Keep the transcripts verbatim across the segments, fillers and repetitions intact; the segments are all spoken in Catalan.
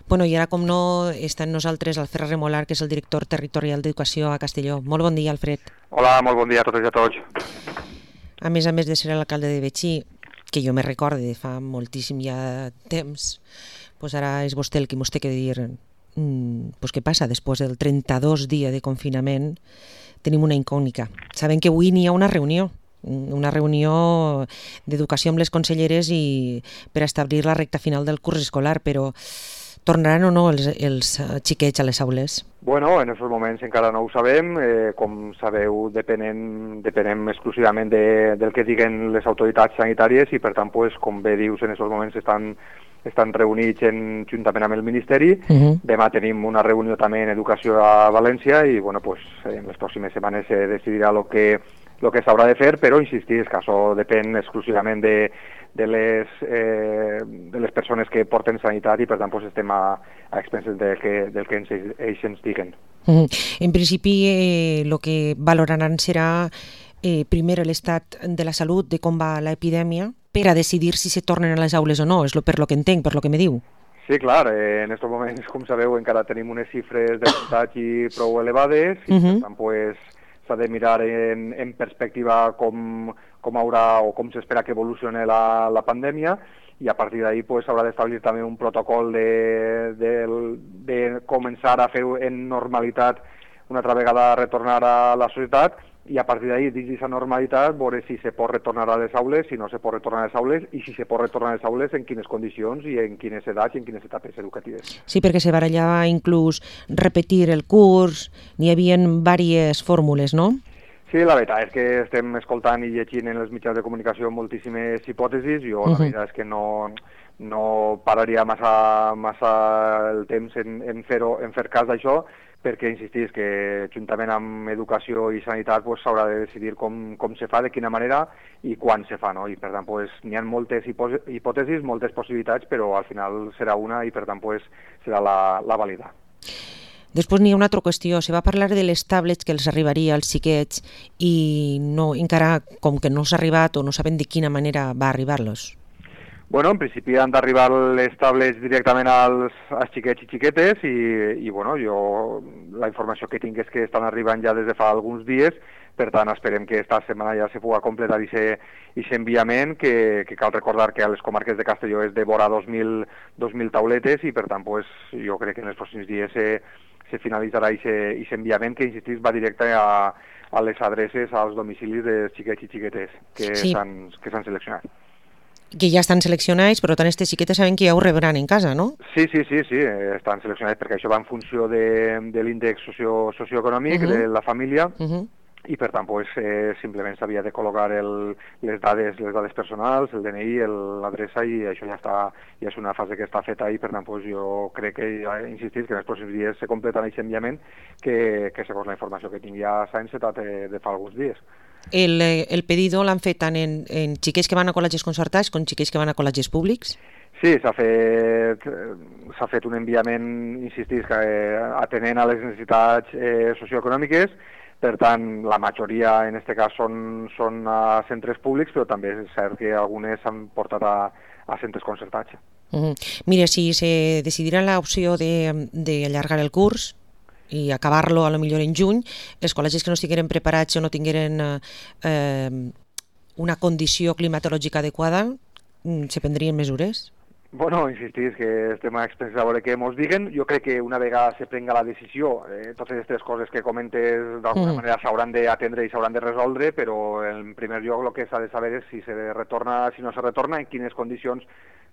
Bueno, i ara, com no, està amb nosaltres Alfred Remolar, que és el director territorial d'Educació a Castelló. Molt bon dia, Alfred. Hola, molt bon dia a totes i a tots. A més a més de ser l'alcalde de Betxí, que jo me recorde de fa moltíssim ja temps, pues ara és vostè el que mos té que dir mm, pues què passa després del trenta-dos dia de confinament. Tenim una incògnita. Sabem que avui n'hi ha una reunió, una reunió d'educació amb les conselleres i per establir la recta final del curs escolar, però tornaran o no els, els xiquets a les aules? Bueno, en aquests moments encara no ho sabem. Eh, com sabeu, depenem, depenem exclusivament de, del que diguen les autoritats sanitàries i, per tant, pues, com bé dius, en aquests moments estan, estan reunits en, juntament amb el Ministeri. Uh-huh. Demà tenim una reunió també en Educació a València i, bueno, pues, en les pròximes setmanes se decidirà el que, lo que s'haurà de fer, però insistir que això depèn exclusivament de, de, les, eh, de les persones que porten sanitat i per tant pues, estem a, a expenses del que, del que ens, ells ens diguen. Mm. En principi el eh, que valoraran serà eh, primer l'estat de la salut, de com va l'epidèmia, per a decidir si se tornen a les aules o no, és lo, per lo que entenc, per lo que me diu. Sí, clar, eh, en aquests moments, com sabeu, encara tenim unes xifres de contagi prou elevades i uh-huh. per tant pues, s'ha de mirar en, en perspectiva com, com haurà o com s'espera que evolucioni la, la pandèmia i a partir d'ahí pues, s'haurà d'establir també un protocol de, de, de començar a fer en normalitat una altra vegada retornar a la societat i a partir d'ahí, dins d'aquesta normalitat, veure si se pot retornar a les aules, si no se pot retornar a les aules i si se pot retornar a les aules en quines condicions i en quines edats i en quines etapes educatives. Sí, perquè se barallava inclús repetir el curs, n'hi havia diverses fórmules, no? Sí, la veritat és que estem escoltant i llegint en els mitjans de comunicació moltíssimes hipòtesis. Jo uh-huh. la veritat és que no, no pararia massa, massa el temps en, en, fer-ho, en fer cas d'això, perquè insistís que juntament amb educació i sanitat pues, s'haurà de decidir com, com se fa, de quina manera i quan se fa, no? I per tant pues, n'hi ha moltes hipòtesis, moltes possibilitats, però al final serà una i per tant pues, serà la, la vàlida. Després n'hi ha una altra qüestió, se va parlar de les tablets que els arribaria als xiquets i no, encara com que no s'ha arribat o no saben de quina manera va arribar-los. Bueno, en principi han d'arribar les tablets directament als, als xiquets i xiquetes i, i bueno, jo la informació que tinc és que estan arribant ja des de fa alguns dies, per tant esperem que esta setmana ja se pugui completar aquest enviament, que, que cal recordar que a les comarques de Castelló és de vora dos mil tauletes i per tant pues, jo crec que en els pròxims dies se, se finalitzarà aquest enviament que, insistís, va directe a, a les adreces, als domicilis dels xiquets i xiquetes que sí. s'han que s'han seleccionat. Que ja estan seleccionats, però tant aquestes xiquetes saben que ja ho rebran en casa, no? Sí, sí, sí, sí, estan seleccionats perquè això va en funció de, de l'índex socio, socioeconòmic uh-huh. de la família uh-huh. i per tant pues, eh, simplement s'havia de col·locar el, les, dades, les dades personals, el D N I, l'adreça i això ja, està, ja és una fase que està feta i per tant pues, jo crec que, ja he insistit, que en els pròxims dies se completarà aquest enviament que, que segons la informació que tinc ja s'ha encetat de, de fa alguns dies. El, el pedido l'han fet tant en, en xiquets que van a col·legis concertats com xiquets que van a col·legis públics? Sí, s'ha fet, s'ha fet un enviament, insistís, que, eh, atenent a les necessitats eh, socioeconòmiques. Per tant, la majoria en aquest cas són, són a centres públics, però també és cert que algunes s'han portat a, a centres concertats. Uh-huh. Mira, si se decidirà l'opció d'allargar el curs i acabar-lo a lo millor en juny, els col·legis que no estigueren preparats o no tingueren eh, una condició climatològica adequada, se prendrien mesures? Bueno, insistís que estem a expenses a veure què ens diguen. Jo crec que una vegada se prenga la decisió, eh, totes aquestes coses que comentes d'alguna mm. manera s'hauran d'atendre i s'hauran de resoldre, però en primer lloc el que s'ha de saber és si se retorna, si no se retorna, en quines condicions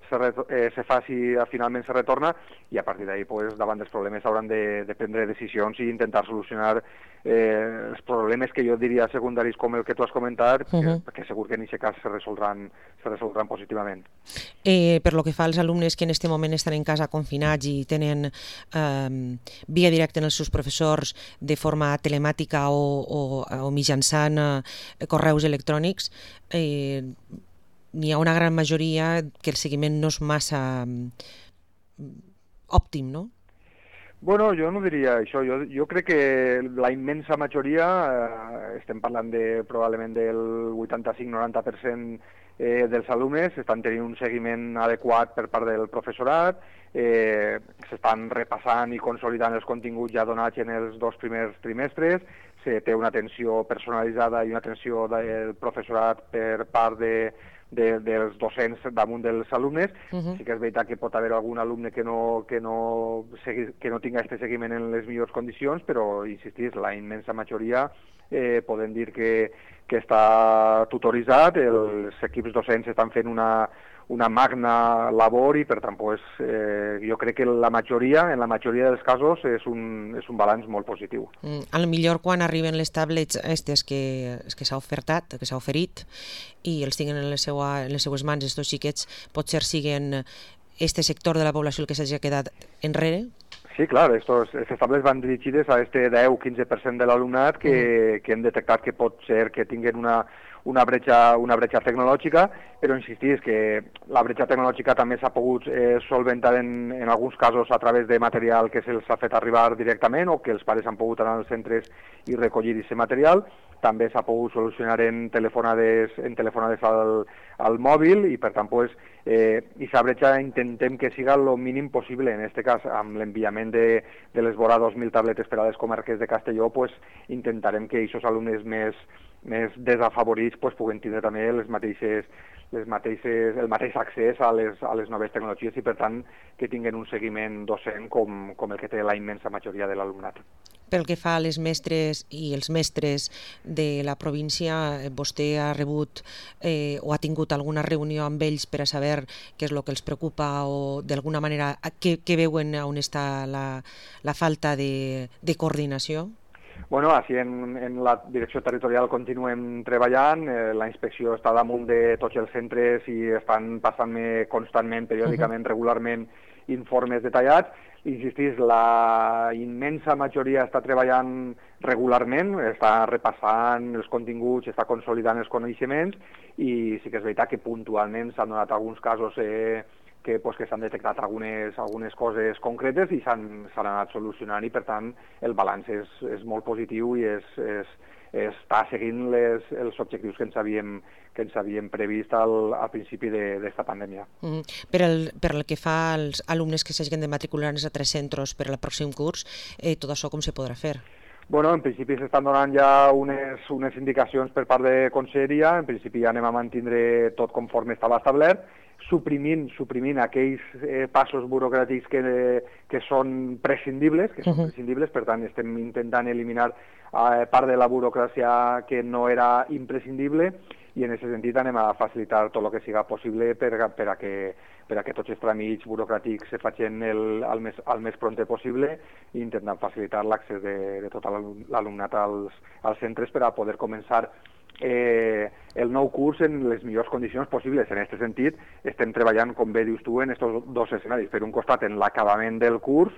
se, eh, se fa si finalment se retorna i a partir d'ahí pues, davant dels problemes s'hauran de, de prendre decisions i intentar solucionar eh, els problemes que jo diria secundaris com el que tu has comentat, uh-huh. que, perquè segur que en aquest cas se resoldran, se resoldran positivament. Eh, per lo que fa als alumnes que en aquest moment estan en casa confinats i tenen eh, via directa en els seus professors de forma telemàtica o, o, o mitjançant eh, correus electrònics, eh, n'hi ha una gran majoria que el seguiment no és massa òptim, no? Bueno, jo no diria això. Jo, jo crec que la immensa majoria, eh, estem parlant de probablement del vuitanta-cinc noranta per cent eh, dels alumnes, estan tenint un seguiment adequat per part del professorat, eh, s'estan repassant i consolidant els continguts ja donats en els dos primers trimestres, se té una atenció personalitzada i una atenció del professorat per part de, de, dels docents damunt dels alumnes. Uh-huh. Sí que és veritat que pot haver algun alumne que no, que no, segui, que no tinga aquest seguiment en les millors condicions, però, insistís, la immensa majoria eh, podem dir que, que està tutoritzat, els equips docents estan fent una, una magna labor i, per tant, pues, eh, jo crec que la majoria, en la majoria dels casos és un, és un balanç molt positiu. Mm, a lo millor quan arriben les tablets aquestes que, que s'ha ofertat, que s'ha oferit, i els tinguin en les, seua, en les seues mans, estos xiquets, potser siguen este sector de la població el que s'hagi quedat enrere? Sí, clar, estos, aquestes tablets van dirigides a este deu a quinze per cent de l'alumnat que, mm. que hem detectat que pot ser que tinguin una, una, bretxa, una bretxa tecnològica, però insistir que la bretxa tecnològica també s'ha pogut eh, solventar en, en alguns casos a través de material que se'ls ha fet arribar directament o que els pares han pogut anar als centres i recollir aquest material. També s'ha pogut solucionar en telefonades, en telefonades al, al mòbil i, per tant, pues, eh, aquesta bretxa intentem que siga el mínim possible. En aquest cas, amb l'enviament de, de les vora dos mil tabletes per a les comarques de Castelló, pues, intentarem que aquests alumnes més, més desafavorits pues, puguen tindre també les mateixes, les mateixes, el mateix accés a les, a les noves tecnologies i, per tant, que tinguin un seguiment docent com, com el que té la immensa majoria de l'alumnat. Pel que fa a les mestres i els mestres de la província, vostè ha rebut eh, o ha tingut alguna reunió amb ells per a saber què és el que els preocupa o d'alguna manera què, què veuen on està la, la falta de, de coordinació? Bueno, així en, en la direcció territorial continuem treballant, eh, la inspecció està damunt de tots els centres i estan passant-me constantment, periòdicament, uh-huh. regularment, informes detallats. Insistís, la immensa majoria està treballant regularment, està repassant els continguts, està consolidant els coneixements i sí que és veritat que puntualment s'han donat alguns casos eh, que, pues, que s'han detectat algunes, algunes coses concretes i s'han anat solucionant i, per tant, el balanç és, és molt positiu i és, és, està seguint les, els objectius que ens havíem, que ens havíem previst al, al principi d'aquesta pandèmia. Mm. Per, el, per el que fa als alumnes que s'hagin de matricular en els altres centres per al pròxim curs, eh, tot això com se podrà fer? Bueno, en principi s'estan donant ja unes, unes indicacions per part de Conselleria, en principi ja anem a mantindre tot conforme estava establert, suprimint, suprimint aquells eh, passos burocràtics que, que són prescindibles, que són uh-huh. prescindibles, per tant estem intentant eliminar eh, part de la burocràcia que no era imprescindible i en aquest sentit anem a facilitar tot el que siga possible per, per, a, que, per a que tots els tràmits burocràtics se facin el, el, més, el més prompte possible i intentant facilitar l'accés de, de tot l'alumnat als, als centres per a poder començar Eh, el nou curs en les millors condicions possibles. En aquest sentit, estem treballant, com bé dius tu, en aquests dos escenaris. Per un costat, en l'acabament del curs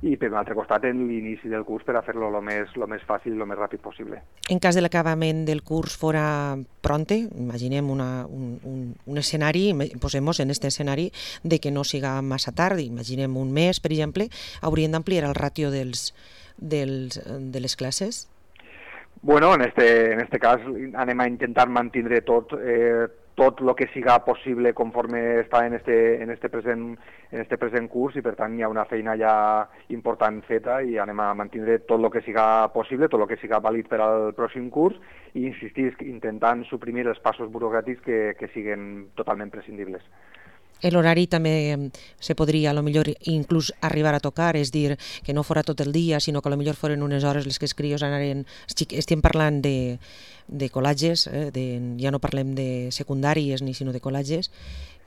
i per un altre costat, en l'inici del curs per a fer-lo el més, lo més fàcil i el més ràpid possible. En cas de l'acabament del curs fora pronte, imaginem una, un, un, un escenari, posem-nos en aquest escenari de que no siga massa tard, imaginem un mes, per exemple, haurien d'ampliar el ràtio dels, dels, de les classes? Bueno, en este, en este cas anem a intentar mantindre tot, eh, tot el que siga possible conforme està en este, en este, present, en este present curs i per tant hi ha una feina ja important feta i anem a mantindre tot el que siga possible, tot el que siga vàlid per al pròxim curs i insistir intentant suprimir els passos burocràtics que, que siguen totalment prescindibles. L'horari també se podria a lo millor inclús arribar a tocar, és dir, que no fora tot el dia, sinó que a lo millor foren unes hores les que els crios anaren... Estem parlant de, de col·latges, eh, de, ja no parlem de secundàries ni sinó de col·latges,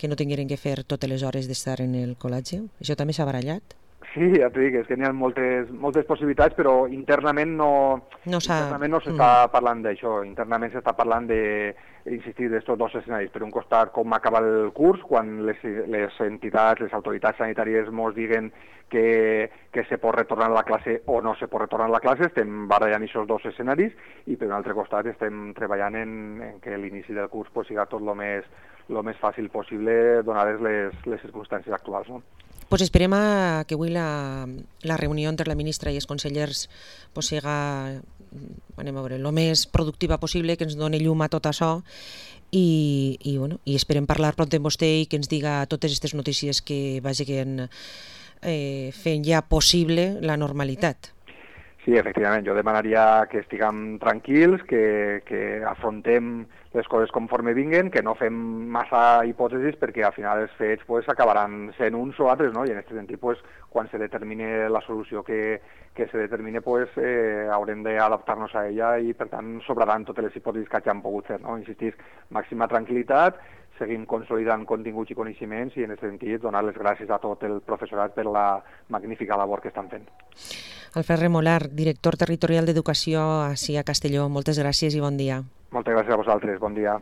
que no tingueren que fer totes les hores d'estar en el col·latge. Això també s'ha barallat? Sí, ja t'ho dic, és que n'hi ha moltes, moltes possibilitats, però internament no, no internament no s'està mm. parlant d'això. Internament s'està parlant de, insistir, d'estos dos escenaris. Per un costat, com acaba el curs, quan les, les entitats, les autoritats sanitàries ens diguen que, que se pot retornar a la classe o no se pot retornar a la classe, estem barallant aquests dos escenaris i per un altre costat estem treballant en, en que l'inici del curs pues, siga tot el més, lo més fàcil possible donades les, les circumstàncies actuals, no? Pues esperem a que avui la, la reunió entre la ministra i els consellers pues, siga, anem a veure, el més productiva possible, que ens doni llum a tot això i, i, bueno, i esperem parlar pront amb vostè i que ens diga totes aquestes notícies que vagin eh, fent ja possible la normalitat. Sí, efectivament, jo demanaria que estiguem tranquils, que, que afrontem les coses conforme vinguen, que no fem massa hipòtesis perquè al final els fets pues, acabaran sent uns o altres, no? I en aquest sentit, pues, quan se determine la solució que, que se determine, pues, eh, haurem d'adaptar-nos a ella i, per tant, sobraran totes les hipòtesis que hagin pogut fer. No? Insistís, màxima tranquil·litat, seguim consolidant continguts i coneixements i, en aquest sentit, donar les gràcies a tot el professorat per la magnífica labor que estan fent. Alfred Remolar, director territorial d'Educació ací a Castelló, moltes gràcies i bon dia. Moltes gràcies a vosaltres, bon dia.